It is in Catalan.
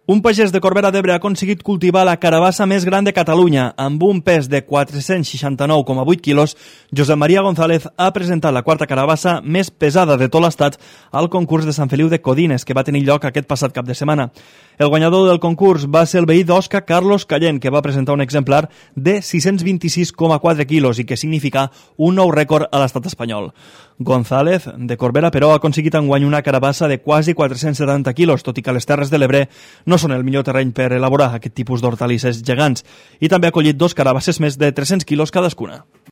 Un pagès de Corbera d'Ebre ha aconseguit cultivar la carabassa més gran de Catalunya. Amb un pes de 469,8 quilos, Josep Maria González ha presentat la quarta carabassa més pesada de tot l'estat al concurs de Sant Feliu de Codines, que va tenir lloc aquest passat cap de setmana. El guanyador del concurs va ser el veí d'Osca, Carlos Callent, que va presentar un exemplar de 626,4 quilos i que significa un nou rècord a l'estat espanyol. González, de Corbera, però, ha aconseguit enguany una carabassa de quasi 470 quilos, tot i que les Terres de l'Ebre no són el millor terreny per elaborar aquest tipus d'hortalisses gegants, i també ha collit 2 carabasses més de 300 quilos cadascuna.